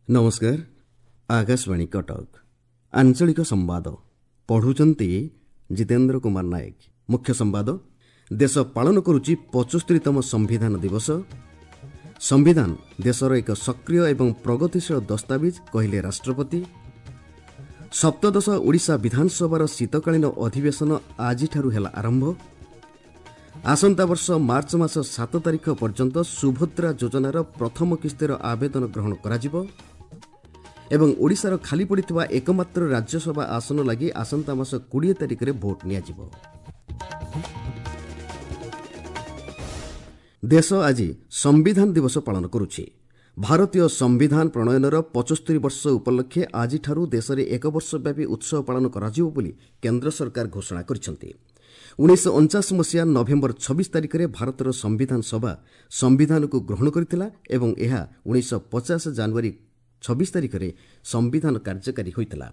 ନମସ୍କାର, ଆକାଶବାଣୀ କଟକ। ଆଞ୍ଚଳିକ ସମ୍ବାଦ ପଢ଼ୁଛନ୍ତି ଜିତେନ୍ଦ୍ର କୁମାର ନାୟକ। ମୁଖ୍ୟ ସମ୍ବାଦ: ଦେଶ ପାଳନ କରୁଛି 75ତମ ସମ୍ବିଧାନ ଦିବସ। ସମ୍ବିଧାନ ଦେଶର ଏକ ସକ୍ରିୟ ଏବଂ ପ୍ରଗତିଶୀଳ ଦସ୍ତାବିଜ, କହିଲେ ରାଷ୍ଟ୍ରପତି। ସପ୍ତଦଶ ଓଡ଼ିଶା ବିଧାନସଭାର ଶୀତକାଳୀନ ଅଧିବେଶନ ଆଜିଠାରୁ ହେଲା ଆରମ୍ଭ। ଆସନ୍ତା ବର୍ଷ ମାର୍ଚ୍ଚ ମାସ 7 ତାରିଖ ପର୍ଯ୍ୟନ୍ତ ସୁଭଦ୍ରା ଯୋଜନାର ପ୍ରଥମ କିସ୍ତିର ଆବେଦନ ଗ୍ରହଣ କରାଯିବ ଏବଂ ଓଡ଼ିଶାର ଖାଲି ପଡ଼ିଥିବା ଏକମାତ୍ର ରାଜ୍ୟସଭା ଆସନ ଲାଗି ଆସନ୍ତା ମାସ 20 ତାରିଖରେ ଭୋଟ୍ ନିଆଯିବ। ଦେଶ ଆଜି ସମ୍ବିଧାନ ଦିବସ ପାଳନ କରୁଛି। ଭାରତୀୟ ସମ୍ବିଧାନ ପ୍ରଣୟନର 75 ବର୍ଷ ଉପଲକ୍ଷେ ଆଜିଠାରୁ ଦେଶରେ ଏକ ବର୍ଷବ୍ୟାପୀ ଉତ୍ସବ ପାଳନ କରାଯିବ ବୋଲି କେନ୍ଦ୍ର ସରକାର ଘୋଷଣା କରିଛନ୍ତି। 1949 ମସିହା ନଭେମ୍ବର 26 ତାରିଖରେ ଭାରତର ସମ୍ବିଧାନ ସଭା ସମ୍ବିଧାନକୁ ଗ୍ରହଣ କରିଥିଲା ଏବଂ ଏହା 1950 ଜାନୁଆରୀ 26 ତାରିଖରେ ସମ୍ବିଧାନ କାର୍ଯ୍ୟକାରୀ ହୋଇଥିଲା।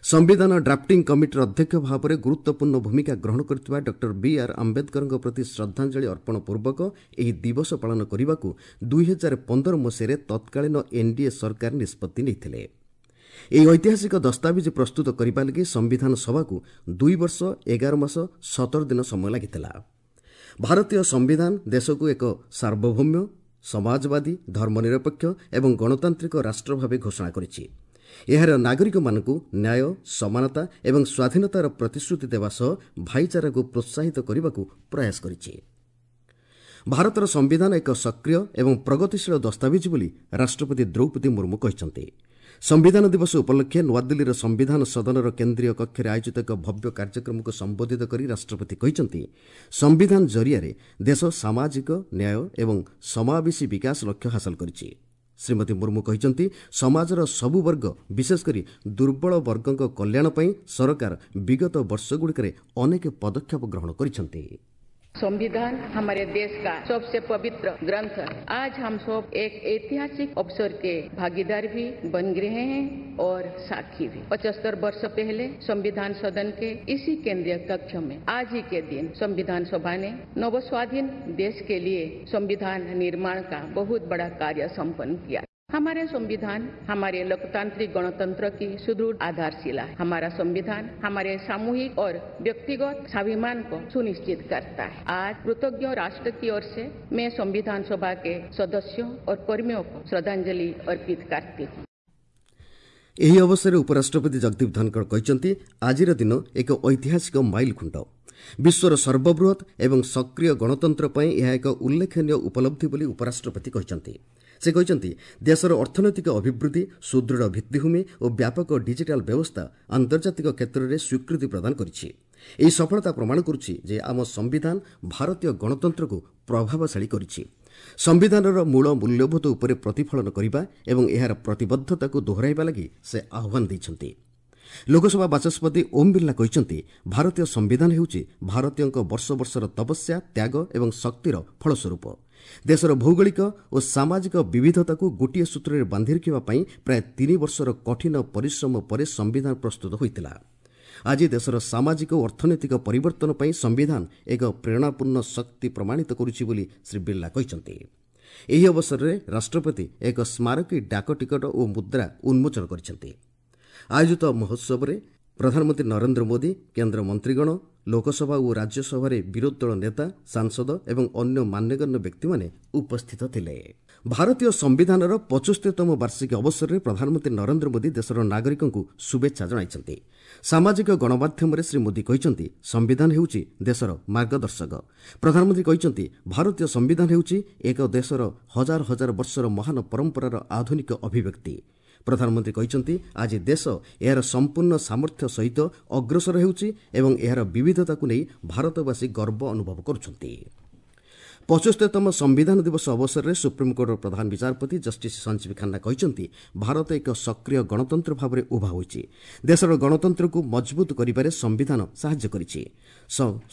ସମ୍ବିଧାନ ଡ୍ରାଫ୍ଟିଂ କମିଟିର ଅଧ୍ୟକ୍ଷ ଭାବରେ ଗୁରୁତ୍ୱପୂର୍ଣ୍ଣ ଭୂମିକା ଗ୍ରହଣ କରିଥିବା ଡକ୍ଟର ବି ଆର୍ ଆମ୍ବେଦକରଙ୍କ ପ୍ରତି ଶ୍ରଦ୍ଧାଞ୍ଜଳି ଅର୍ପଣ ପୂର୍ବକ ଏହି ଦିବସ ପାଳନ କରିବାକୁ 2015 ମସିହାରେ ତତ୍କାଳୀନ ଏନ୍ଡିଏ ସରକାର ନିଷ୍ପତ୍ତି ନେଇଥିଲେ। ଏହି ଐତିହାସିକ ଦସ୍ତାବିଜ ପ୍ରସ୍ତୁତ କରିବା ଲାଗି ସମ୍ବିଧାନ ସଭାକୁ 2 ବର୍ଷ 11 ମାସ 17 ଦିନ ସମୟ ଲାଗିଥିଲା। ଭାରତୀୟ ସମ୍ବିଧାନ ଦେଶକୁ ଏକ ସାର୍ବଭୌମ୍ୟ, ସମାଜବାଦୀ, ଧର୍ମନିରପେକ୍ଷ ଏବଂ ଗଣତାନ୍ତ୍ରିକ ରାଷ୍ଟ୍ର ଭାବେ ଘୋଷଣା କରିଛି। ଏହାର ନାଗରିକମାନଙ୍କୁ ନ୍ୟାୟ, ସମାନତା ଏବଂ ସ୍ୱାଧୀନତାର ପ୍ରତିଶ୍ରୁତି ଦେବା ସହ ଭାଇଚାରାକୁ ପ୍ରୋତ୍ସାହିତ କରିବାକୁ ପ୍ରୟାସ କରିଛି। ଭାରତର ସମ୍ବିଧାନ ଏକ ସକ୍ରିୟ ଏବଂ ପ୍ରଗତିଶୀଳ ଦସ୍ତାବିଜ ବୋଲି ରାଷ୍ଟ୍ରପତି ଦ୍ରୌପଦୀ ମୁର୍ମୁ କହିଛନ୍ତି। ସମ୍ବିଧାନ ଦିବସ ଉପଲକ୍ଷେ ନୂଆଦିଲ୍ଲୀର ସମ୍ବିଧାନ ସଦନର କେନ୍ଦ୍ରୀୟ କକ୍ଷରେ ଆୟୋଜିତ ଏକ ଭବ୍ୟ କାର୍ଯ୍ୟକ୍ରମକୁ ସମ୍ବୋଧିତ କରି ରାଷ୍ଟ୍ରପତି କହିଛନ୍ତି, ସମ୍ବିଧାନ ଜରିଆରେ ଦେଶ ସାମାଜିକ ନ୍ୟାୟ ଏବଂ ସମାବେଶୀ ବିକାଶ ଲକ୍ଷ୍ୟ ହାସଲ କରିଛି। ଶ୍ରୀମତୀ ମୁର୍ମୁ କହିଛନ୍ତି, ସମାଜର ସବୁ ବର୍ଗ, ବିଶେଷକରି ଦୁର୍ବଳ ବର୍ଗଙ୍କ କଲ୍ୟାଣ ପାଇଁ ସରକାର ବିଗତ ବର୍ଷଗୁଡ଼ିକରେ ଅନେକ ପଦକ୍ଷେପ ଗ୍ରହଣ କରିଛନ୍ତି। संविधान हमारे देश का सबसे पवित्र ग्रंथ है। आज हम सब एक ऐतिहासिक अवसर के भागीदार भी बन रहे हैं और साक्षी भी। 75 वर्ष पहले संविधान सदन के इसी केंद्रीय कक्ष में आज ही के दिन संविधान सभा ने नव स्वाधीन देश के लिए संविधान निर्माण का बहुत बड़ा कार्य संपन्न किया। हमारे संविधान हमारे लोकतांत्रिक गणतंत्र की सुदृढ़ आधारशिला है। हमारा संविधान हमारे सामूहिक और व्यक्तिगत स्वाभिमान को सुनिश्चित करता है। आज कृतज्ञ राष्ट्र की ओर से मैं संविधान सभा के सदस्यों और कर्मियों को श्रद्धांजलि अर्पित करती हूँ। ଏହି ଅବସରରେ ଉପରାଷ୍ଟ୍ରପତି ଜଗଦୀପ ଧନଖଡ଼ କହିଛନ୍ତି, ଆଜିର ଦିନ ଏକ ଐତିହାସିକ ମାଇଲଖୁଣ୍ଟ। ବିଶ୍ୱର ସର୍ବବୃହତ୍ ଏବଂ ସକ୍ରିୟ ଗଣତନ୍ତ୍ର ପାଇଁ ଏହା ଏକ ଉଲ୍ଲେଖନୀୟ ଉପଲବ୍ଧି ବୋଲି ଉପରାଷ୍ଟ୍ରପତି କହିଛନ୍ତି। ସେ କହିଛନ୍ତି, ଦେଶର ଅର୍ଥନୈତିକ ଅଭିବୃଦ୍ଧି, ସୁଦୃଢ଼ ଭିତ୍ତିଭୂମି ଓ ବ୍ୟାପକ ଡିଜିଟାଲ ବ୍ୟବସ୍ଥା ଆନ୍ତର୍ଜାତିକ କ୍ଷେତ୍ରରେ ସ୍ୱୀକୃତି ପ୍ରଦାନ କରିଛି। ଏହି ସଫଳତା ପ୍ରମାଣ କରୁଛି ଯେ ଆମ ସମ୍ବିଧାନ ଭାରତୀୟ ଗଣତନ୍ତ୍ରକୁ ପ୍ରଭାବଶାଳୀ କରିଛି। ସମ୍ବିଧାନର ମୂଳ ମୂଲ୍ୟବୋଧ ଉପରେ ପ୍ରତିଫଳନ କରିବା ଏବଂ ଏହାର ପ୍ରତିବଦ୍ଧତାକୁ ଦୋହରାଇବା ଲାଗି ସେ ଆହ୍ୱାନ ଦେଇଛନ୍ତି। ଲୋକସଭା ବାଚସ୍ପତି ଓମ୍ ବିର୍ଲା କହିଛନ୍ତି, ଭାରତୀୟ ସମ୍ବିଧାନ ହେଉଛି ଭାରତୀୟଙ୍କ ବର୍ଷ ବର୍ଷର ତପସ୍ୟା, ତ୍ୟାଗ ଏବଂ ଶକ୍ତିର ଫଳସ୍ୱରୂପ। ଦେଶର ଭୌଗୋଳିକ ଓ ସାମାଜିକ ବିବିଧତାକୁ ଗୋଟିଏ ସୂତ୍ରରେ ବାନ୍ଧି ରଖିବା ପାଇଁ ପ୍ରାୟ 3 ବର୍ଷର କଠିନ ପରିଶ୍ରମ ପରେ ସମ୍ବିଧାନ ପ୍ରସ୍ତୁତ ହୋଇଥିଲା। ଆଜି ଦେଶର ସାମାଜିକ ଓ ଅର୍ଥନୈତିକ ପରିବର୍ତ୍ତନ ପାଇଁ ସମ୍ବିଧାନ ଏକ ପ୍ରେରଣାପୂର୍ଣ୍ଣ ଶକ୍ତି ପ୍ରମାଣିତ କରୁଛି ବୋଲି ଶ୍ରୀ ବିର୍ଲା କହିଛନ୍ତି। ଏହି ଅବସରରେ ରାଷ୍ଟ୍ରପତି ଏକ ସ୍ମାରକୀ ଡାକ ଟିକଟ ଓ ମୁଦ୍ରା ଉନ୍ମୋଚନ କରିଛନ୍ତି। ଆୟୋଜିତ ମହୋତ୍ସବରେ ପ୍ରଧାନମନ୍ତ୍ରୀ ନରେନ୍ଦ୍ର ମୋଦି, କେନ୍ଦ୍ର ମନ୍ତ୍ରୀଗଣ, ଲୋକସଭା ଓ ରାଜ୍ୟସଭାରେ ବିରୋଧୀ ଦଳ ନେତା, ସାଂସଦ ଏବଂ ଅନ୍ୟ ମାନ୍ୟଗଣ୍ୟ ବ୍ୟକ୍ତିମାନେ ଉପସ୍ଥିତ ଥିଲେ। ଭାରତୀୟ ସମ୍ବିଧାନର 75ତମ ବାର୍ଷିକୀ ଅବସରରେ ପ୍ରଧାନମନ୍ତ୍ରୀ ନରେନ୍ଦ୍ର ମୋଦି ଦେଶର ନାଗରିକଙ୍କୁ ଶୁଭେଚ୍ଛା ଜଣାଇଛନ୍ତି। ସାମାଜିକ ଗଣମାଧ୍ୟମରେ ଶ୍ରୀ ମୋଦି କହିଛନ୍ତି, ସମ୍ବିଧାନ ହେଉଛି ଦେଶର ମାର୍ଗଦର୍ଶକ। ପ୍ରଧାନମନ୍ତ୍ରୀ କହିଛନ୍ତି, ଭାରତୀୟ ସମ୍ବିଧାନ ହେଉଛି ଏକ ଦେଶର ହଜାର ହଜାର ବର୍ଷର ମହାନ ପରମ୍ପରାର ଆଧୁନିକ ଅଭିବ୍ୟକ୍ତି। ପ୍ରଧାନମନ୍ତ୍ରୀ କହିଛନ୍ତି, ଆଜି ଦେଶ ଏହାର ସମ୍ପୂର୍ଣ୍ଣ ସାମର୍ଥ୍ୟ ସହିତ ଅଗ୍ରସର ହେଉଛି ଏବଂ ଏହାର ବିବିଧତାକୁ ନେଇ ଭାରତବାସୀ ଗର୍ବ ଅନୁଭବ କରୁଛନ୍ତି। 75ତମ ସମ୍ବିଧାନ ଦିବସ ଅବସରରେ ସୁପ୍ରିମକୋର୍ଟର ପ୍ରଧାନ ବିଚାରପତି ଜଷ୍ଟିସ୍ ସଞ୍ଜୀବ ଖାନ୍ନା କହିଛନ୍ତି, ଭାରତ ଏକ ସକ୍ରିୟ ଗଣତନ୍ତ୍ର ଭାବରେ ଉଭା ହୋଇଛି। ଦେଶର ଗଣତନ୍ତ୍ରକୁ ମଜବୁତ କରିବାରେ ସମ୍ବିଧାନ ସାହାଯ୍ୟ କରିଛି।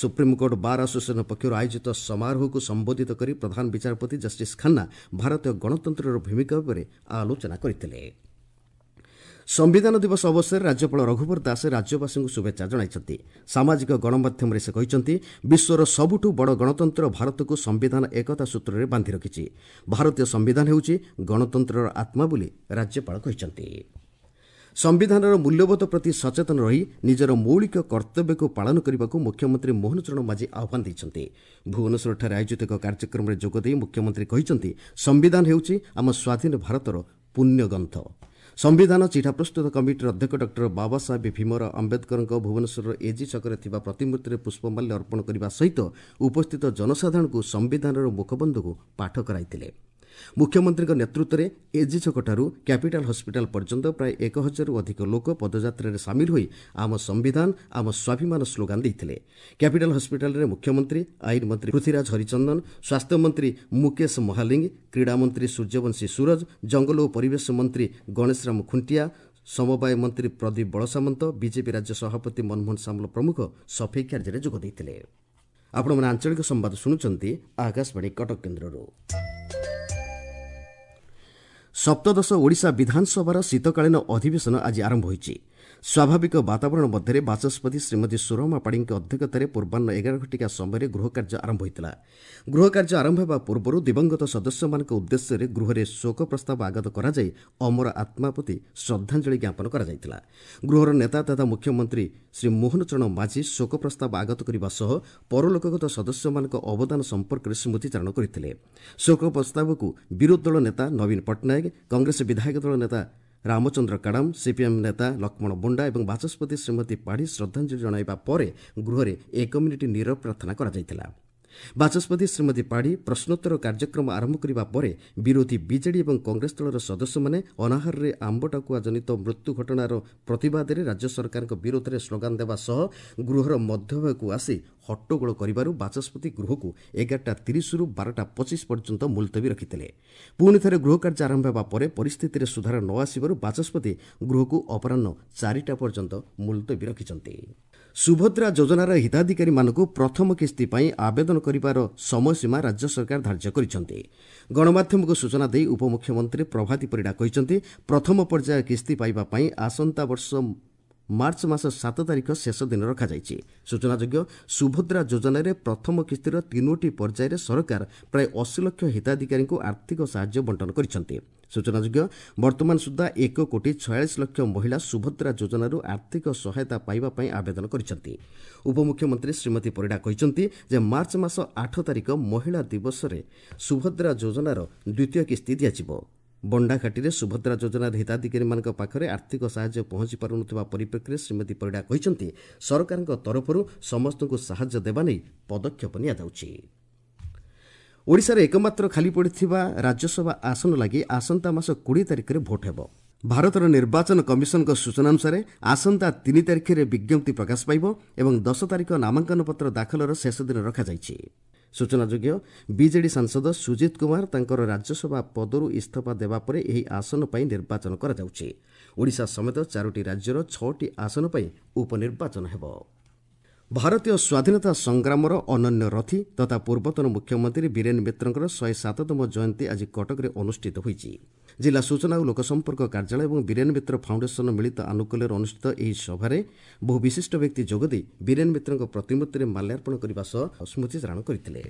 ସୁପ୍ରିମକୋର୍ଟ ବାର୍ ଆସୋସିଏସନ ପକ୍ଷରୁ ଆୟୋଜିତ ସମାରୋହକୁ ସମ୍ବୋଧିତ କରି ପ୍ରଧାନ ବିଚାରପତି ଜଷ୍ଟିସ୍ ଖାନ୍ନା ଭାରତୀୟ ଗଣତନ୍ତ୍ରର ଭୂମିକା ଉପରେ ଆଲୋଚନା କରିଥିଲେ। ସମ୍ବିଧାନ ଦିବସ ଅବସରରେ ରାଜ୍ୟପାଳ ରଘୁବର ଦାସ ରାଜ୍ୟବାସୀଙ୍କୁ ଶୁଭେଚ୍ଛା ଜଣାଇଛନ୍ତି। ସାମାଜିକ ଗଣମାଧ୍ୟମରେ ସେ କହିଛନ୍ତି, ବିଶ୍ୱର ସବୁଠୁ ବଡ଼ ଗଣତନ୍ତ୍ର ଭାରତକୁ ସମ୍ବିଧାନ ଏକତା ସୂତ୍ରରେ ବାନ୍ଧି ରଖିଛି। ଭାରତୀୟ ସମ୍ବିଧାନ ହେଉଛି ଗଣତନ୍ତ୍ରର ଆତ୍ମା ବୋଲି ରାଜ୍ୟପାଳ କହିଛନ୍ତି। ସମ୍ବିଧାନର ମୂଲ୍ୟବୋଧ ପ୍ରତି ସଚେତନ ରହି ନିଜର ମୌଳିକ କର୍ତ୍ତବ୍ୟକୁ ପାଳନ କରିବାକୁ ମୁଖ୍ୟମନ୍ତ୍ରୀ ମୋହନ ଚରଣ ମାଝୀ ଆହ୍ୱାନ ଦେଇଛନ୍ତି। ଭୁବନେଶ୍ୱରଠାରେ ଆୟୋଜିତ ଏକ କାର୍ଯ୍ୟକ୍ରମରେ ଯୋଗଦେଇ ମୁଖ୍ୟମନ୍ତ୍ରୀ କହିଛନ୍ତି, ସମ୍ବିଧାନ ହେଉଛି ଆମ ସ୍ୱାଧୀନ ଭାରତର ପୁଣ୍ୟଗ୍ରନ୍ଥ। ସମ୍ବିଧାନ ଚିଠା ପ୍ରସ୍ତୁତ କମିଟିର ଅଧ୍ୟକ୍ଷ ଡକ୍ଟର ବାବାସାହେବ ଭୀମରାଓ ଆମ୍ବେଦକରଙ୍କ ଭୁବନେଶ୍ୱରର ଏଜି ଛକରେ ଥିବା ପ୍ରତିମୂର୍ତ୍ତିରେ ପୁଷ୍ପମାଲ୍ୟ ଅର୍ପଣ କରିବା ସହିତ ଉପସ୍ଥିତ ଜନସାଧାରଣଙ୍କୁ ସମ୍ବିଧାନର ମୁଖବନ୍ଧକୁ ପାଠ କରାଇଥିଲେ। ମୁଖ୍ୟମନ୍ତ୍ରୀଙ୍କ ନେତୃତ୍ୱରେ ଏଜି ଛକଠାରୁ କ୍ୟାପିଟାଲ ହସ୍ପିଟାଲ ପର୍ଯ୍ୟନ୍ତ ପ୍ରାୟ 1000ରୁ ଅଧିକ ଲୋକ ପଦଯାତ୍ରାରେ ସାମିଲ ହୋଇ ଆମ ସମ୍ବିଧାନ ଆମ ସ୍ୱାଭିମାନ ସ୍ଲୋଗାନ ଦେଇଥିଲେ। କ୍ୟାପିଟାଲ ହସ୍ପିଟାଲରେ ମୁଖ୍ୟମନ୍ତ୍ରୀ, ଆଇନ ମନ୍ତ୍ରୀ ପୃଥ୍ୱୀରାଜ ହରିଚନ୍ଦନ, ସ୍ୱାସ୍ଥ୍ୟମନ୍ତ୍ରୀ ମୁକେଶ ମହାଲିଙ୍ଗ, କ୍ରୀଡ଼ାମନ୍ତ୍ରୀ ସୂର୍ଯ୍ୟବଂଶୀ ସୂରଜ, ଜଙ୍ଗଲ ଓ ପରିବେଶ ମନ୍ତ୍ରୀ ଗଣେଶରାମ ଖୁଣ୍ଟିଆ, ସମବାୟ ମନ୍ତ୍ରୀ ପ୍ରଦୀପ ବଳସାମନ୍ତ, ବିଜେପି ରାଜ୍ୟ ସଭାପତି ମନମୋହନ ସାମଲ ପ୍ରମୁଖ ସଫେଇ କାର୍ଯ୍ୟରେ ଯୋଗ ଦେଇଥିଲେ। ଆପଣମାନେ ଆଞ୍ଚଳିକ ସମ୍ବାଦ ଶୁଣୁଛନ୍ତି ଆକାଶବାଣୀ କଟକ କେନ୍ଦ୍ରରୁ। ସପ୍ତଦଶ ଓଡ଼ିଶା ବିଧାନସଭାର ଶୀତକାଳୀନ ଅଧିବେଶନ ଆଜି ଆରମ୍ଭ ହୋଇଛି। ସ୍ୱାଭାବିକ ବାତାବରଣ ମଧ୍ୟରେ ବାଚସ୍ପତି ଶ୍ରୀମତୀ ସୁରମା ପାଢ଼ୀଙ୍କ ଅଧ୍ୟକ୍ଷତାରେ ପୂର୍ବାହ୍ନ 11 ଘଟିକା ସମୟରେ ଗୃହକାର୍ଯ୍ୟ ଆରମ୍ଭ ହୋଇଥିଲା। ଗୃହକାର୍ଯ୍ୟ ଆରମ୍ଭ ହେବା ପୂର୍ବରୁ ଦିବଂଗତ ସଦସ୍ୟମାନଙ୍କ ଉଦ୍ଦେଶ୍ୟରେ ଗୃହରେ ଶୋକ ପ୍ରସ୍ତାବ ଆଗତ କରାଯାଇ ଅମର ଆତ୍ମା ପ୍ରତି ଶ୍ରଦ୍ଧାଞ୍ଜଳି ଜ୍ଞାପନ କରାଯାଇଥିଲା। ଗୃହର ନେତା ତଥା ମୁଖ୍ୟମନ୍ତ୍ରୀ ଶ୍ରୀ ମୋହନ ଚରଣ ମାଝୀ ଶୋକ ପ୍ରସ୍ତାବ ଆଗତ କରିବା ସହ ପରଲୋକଗତ ସଦସ୍ୟମାନଙ୍କ ଅବଦାନ ସମ୍ପର୍କରେ ସ୍ମୃତିଚାରଣ କରିଥିଲେ। ଶୋକ ପ୍ରସ୍ତାବକୁ ବିରୋଧୀ ଦଳ ନେତା ନବୀନ ପଟ୍ଟନାୟକ, କଂଗ୍ରେସ ବିଧାୟକ ଦଳ ନେତା ରାମଚନ୍ଦ୍ର କାଡ଼ାମ, ସିପିଏମ୍ ନେତା ଲକ୍ଷ୍ମଣ ବଣ୍ଡା ଏବଂ ବାଚସ୍ପତି ଶ୍ରୀମତୀ ପାଢ଼ୀ ଶ୍ରଦ୍ଧାଞ୍ଜଳି ଜଣାଇବା ପରେ ଗୃହରେ 1 ମିନିଟ୍ ନୀରବ ପ୍ରାର୍ଥନା କରାଯାଇଥିଲା। ବାଚସ୍ପତି ଶ୍ରୀମତୀ ପାଢ଼ୀ ପ୍ରଶ୍ନୋତ୍ତର କାର୍ଯ୍ୟକ୍ରମ ଆରମ୍ଭ କରିବା ପରେ ବିରୋଧୀ ବିଜେଡି ଏବଂ କଂଗ୍ରେସ ଦଳର ସଦସ୍ୟମାନେ ଅନାହାରରେ ଆମ୍ବ ଟାକୁଆ ଜନିତ ମୃତ୍ୟୁ ଘଟଣାର ପ୍ରତିବାଦରେ ରାଜ୍ୟ ସରକାରଙ୍କ ବିରୋଧରେ ସ୍ଲୋଗାନ ଦେବା ସହ ଗୃହର ମଧ୍ୟଭାଗକୁ ଆସି ହଟ୍ଟଗୋଳ କରିବାରୁ ବାଚସ୍ପତି ଗୃହକୁ 11:30ରୁ 12:25 ପର୍ଯ୍ୟନ୍ତ ମୁଲତବୀ ରଖିଥିଲେ। ପୁଣି ଥରେ ଗୃହ କାର୍ଯ୍ୟ ଆରମ୍ଭ ହେବା ପରେ ପରିସ୍ଥିତିରେ ସୁଧାର ନ ଆସିବାରୁ ବାଚସ୍ପତି ଗୃହକୁ ଅପରାହ୍ନ 4ଟା ପର୍ଯ୍ୟନ୍ତ ମୁଲତବୀ ରଖିଛନ୍ତି। ସୁଭଦ୍ରା ଯୋଜନାର ହିତାଧିକାରୀମାନଙ୍କୁ ପ୍ରଥମ କିସ୍ତି ପାଇଁ ଆବେଦନ କରିବାର ସମୟସୀମା ରାଜ୍ୟ ସରକାର ଧାର୍ଯ୍ୟ କରିଛନ୍ତି। ଗଣମାଧ୍ୟମକୁ ସୂଚନା ଦେଇ ଉପମୁଖ୍ୟମନ୍ତ୍ରୀ ପ୍ରଭାତୀ ପରିଡ଼ା କହିଛନ୍ତି, ପ୍ରଥମ ପର୍ଯ୍ୟାୟ କିସ୍ତି ପାଇବା ପାଇଁ ଆସନ୍ତା ବର୍ଷ ମାର୍ଚ୍ଚ ମାସ 7 ତାରିଖ ଶେଷ ଦିନ ରଖାଯାଇଛି। ସୂଚନାଯୋଗ୍ୟ, ସୁଭଦ୍ରା ଯୋଜନାରେ ପ୍ରଥମ କିସ୍ତିର 3ଟି ପର୍ଯ୍ୟାୟରେ ସରକାର ପ୍ରାୟ 80 ଲକ୍ଷ ହିତାଧିକାରୀଙ୍କୁ ଆର୍ଥିକ ସାହାଯ୍ୟ ବଣ୍ଟନ କରିଛନ୍ତି। ସୂଚନାଯୋଗ୍ୟ, ବର୍ତ୍ତମାନ ସୁଦ୍ଧା 1 କୋଟି 46 ଲକ୍ଷ ମହିଳା ସୁଭଦ୍ରା ଯୋଜନାରୁ ଆର୍ଥିକ ସହାୟତା ପାଇବା ପାଇଁ ଆବେଦନ କରିଛନ୍ତି। ଉପମୁଖ୍ୟମନ୍ତ୍ରୀ ଶ୍ରୀମତୀ ପରିଡ଼ା କହିଛନ୍ତି ଯେ ମାର୍ଚ୍ଚ ମାସ 8 ତାରିଖ ମହିଳା ଦିବସରେ ସୁଭଦ୍ରା ଯୋଜନାର ଦ୍ୱିତୀୟ କିସ୍ତି ଦିଆଯିବ। ବଣ୍ଡାଘାଟିରେ ସୁଭଦ୍ରା ଯୋଜନାର ହିତାଧିକାରୀମାନଙ୍କ ପାଖରେ ଆର୍ଥିକ ସାହାଯ୍ୟ ପହଞ୍ଚି ପାରୁନଥିବା ପରିପ୍ରେକ୍ଷୀରେ ଶ୍ରୀମତୀ ପରିଡ଼ା କହିଛନ୍ତି, ସରକାରଙ୍କ ତରଫରୁ ସମସ୍ତଙ୍କୁ ସାହାଯ୍ୟ ଦେବା ନେଇ ପଦକ୍ଷେପ ନିଆଯାଉଛି। ଓଡ଼ିଶାରେ ଏକମାତ୍ର ଖାଲି ପଡ଼ିଥିବା ରାଜ୍ୟସଭା ଆସନ ଲାଗି ଆସନ୍ତା ମାସ 20 ତାରିଖରେ ଭୋଟ୍ ହେବ। ଭାରତର ନିର୍ବାଚନ କମିଶନଙ୍କ ସୂଚନା ଅନୁସାରେ ଆସନ୍ତା 3 ତାରିଖରେ ବିଜ୍ଞପ୍ତି ପ୍ରକାଶ ପାଇବ ଏବଂ 10 ତାରିଖ ନାମାଙ୍କନପତ୍ର ଦାଖଲର ଶେଷ ଦିନ ରଖାଯାଇଛି। ସୂଚନାଯୋଗ୍ୟ, ବିଜେଡି ସାଂସଦ ସୁଜିତ କୁମାର ତାଙ୍କର ରାଜ୍ୟସଭା ପଦରୁ ଇସ୍ତଫା ଦେବା ପରେ ଏହି ଆସନ ପାଇଁ ନିର୍ବାଚନ କରାଯାଉଛି। ଓଡ଼ିଶା ସମେତ 4ଟି ରାଜ୍ୟର 6ଟି ଆସନ ପାଇଁ ଉପନିର୍ବାଚନ ହେବ। ଭାରତୀୟ ସ୍ୱାଧୀନତା ସଂଗ୍ରାମର ଅନନ୍ୟ ରଥୀ ତଥା ପୂର୍ବତନ ମୁଖ୍ୟମନ୍ତ୍ରୀ ବୀରେନ ମିତ୍ରଙ୍କର 107ତମ ଜୟନ୍ତୀ ଆଜି କଟକରେ ଅନୁଷ୍ଠିତ ହୋଇଛି। ଜିଲ୍ଲା ସୂଚନା ଓ ଲୋକସମ୍ପର୍କ କାର୍ଯ୍ୟାଳୟ ଏବଂ ବୀରେନ ମିତ୍ର ଫାଉଣ୍ଡେସନ ମିଳିତ ଆନୁକୂଲ୍ୟରେ ଅନୁଷ୍ଠିତ ଏହି ସଭାରେ ବହୁ ବିଶିଷ୍ଟ ବ୍ୟକ୍ତି ଯୋଗଦେଇ ବୀରେନ ମିତ୍ରଙ୍କ ପ୍ରତିମୂର୍ତ୍ତିରେ ମାଲ୍ୟାର୍ପଣ କରିବା ସହ ସ୍ମୃତିଚାରଣ କରିଥିଲେ।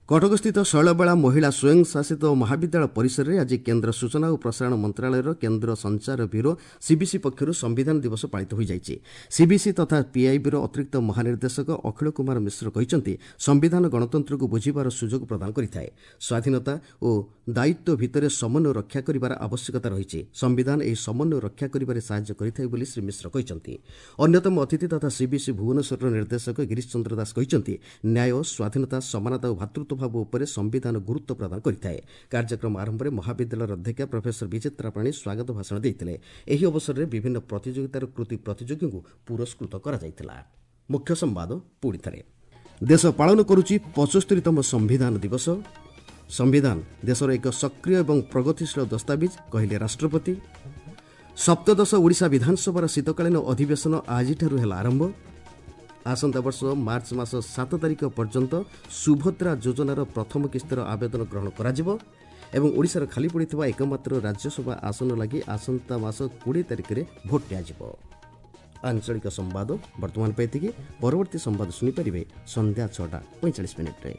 କଟକସ୍ଥିତ ଶୈଳବାଳା ମହିଳା ସ୍ୱୟଂଶାସିତ ମହାବିଦ୍ୟାଳୟ ପରିସରରେ ଆଜି କେନ୍ଦ୍ର ସୂଚନା ଓ ପ୍ରସାରଣ ମନ୍ତ୍ରଣାଳୟର କେନ୍ଦ୍ର ସଞ୍ଚାର ବ୍ୟୁରୋ ସିବିସି ପକ୍ଷରୁ ସମ୍ବିଧାନ ଦିବସ ପାଳିତ ହୋଇଯାଇଛି। ସିବିସି ତଥା ପିଆଇବିର ଅତିରିକ୍ତ ମହାନିର୍ଦ୍ଦେଶକ ଅଖିଳ କୁମାର ମିଶ୍ର କହିଛନ୍ତି, ସମ୍ବିଧାନ ଗଣତନ୍ତ୍ରକୁ ବୁଝିବାର ସୁଯୋଗ ପ୍ରଦାନ କରିଥାଏ। ସ୍ୱାଧୀନତା ଓ ଦାୟିତ୍ୱ ଭିତରେ ସମନ୍ୱୟ ରକ୍ଷା କରିବାର ଆବଶ୍ୟକତା ରହିଛି। ସମ୍ବିଧାନ ଏହି ସମନ୍ୱୟ ରକ୍ଷା କରିବାରେ ସାହାଯ୍ୟ କରିଥାଏ ବୋଲି ଶ୍ରୀ ମିଶ୍ର କହିଛନ୍ତି। ଅନ୍ୟତମ ଅତିଥି ତଥା ସିବିସି ଭୁବନେଶ୍ୱରର ନିର୍ଦ୍ଦେଶକ ଗିରୀଶ ଚନ୍ଦ୍ର ଦାସ କହିଛନ୍ତି, ନ୍ୟାୟ, ସ୍ୱାଧୀନତା, ସମାନତା ଓ ଭ୍ରାତୃତ୍ୱ ଭାବ ଉପରେ ସମ୍ବିଧାନ ଗୁରୁତ୍ୱ ପ୍ରଦାନ କରିଥାଏ। କାର୍ଯ୍ୟକ୍ରମ ଆରମ୍ଭରେ ମହାବିଦ୍ୟାଳୟର ଅଧ୍ୟକ୍ଷା ପ୍ରଫେସର ବିଚିତ୍ରା ପାଣି ସ୍ୱାଗତ ଭାଷଣ ଦେଇଥିଲେ। ଏହି ଅବସରରେ ବିଭିନ୍ନ ପ୍ରତିଯୋଗିତାର କୃତି ପ୍ରତିଯୋଗୀଙ୍କୁ ପୁରସ୍କୃତ କରାଯାଇଥିଲା। ମୁଖ୍ୟ ସମ୍ବାଦ ପୁଣି ଥରେ। ଦେଶ ପାଳନ କରୁଛି 75ତମ ସମ୍ବିଧାନ ଦିବସ। ସମ୍ବିଧାନ ଦେଶର ଏକ ସକ୍ରିୟ ଏବଂ ପ୍ରଗତିଶୀଳ ଦସ୍ତାବିଜ, କହିଲେ ରାଷ୍ଟ୍ରପତି। ସପ୍ତଦଶ ଓଡ଼ିଶା ବିଧାନସଭାର ଶୀତକାଳୀନ ଅଧିବେଶନ ଆଜିଠାରୁ ହେଲା ଆରମ୍ଭ। ଆସନ୍ତା ବର୍ଷ ମାର୍ଚ୍ଚ ମାସ 7 ତାରିଖ ପର୍ଯ୍ୟନ୍ତ ସୁଭଦ୍ରା ଯୋଜନାର ପ୍ରଥମ କିସ୍ତିର ଆବେଦନ ଗ୍ରହଣ କରାଯିବ ଏବଂ ଓଡ଼ିଶାର ଖାଲି ପଡ଼ିଥିବା ଏକମାତ୍ର ରାଜ୍ୟସଭା ଆସନ ଲାଗି ଆସନ୍ତା ମାସ 20 ତାରିଖରେ ଭୋଟ୍ ନିଆଯିବ। ଆଞ୍ଚଳିକ ସମ୍ବାଦ ବର୍ତ୍ତମାନ ପାଇଁ ଏତିକି। ପରବର୍ତ୍ତୀ ସମ୍ବାଦ ଶୁଣିପାରିବେ ସନ୍ଧ୍ୟା 6ଟା 45 ମିନିଟ୍ରେ।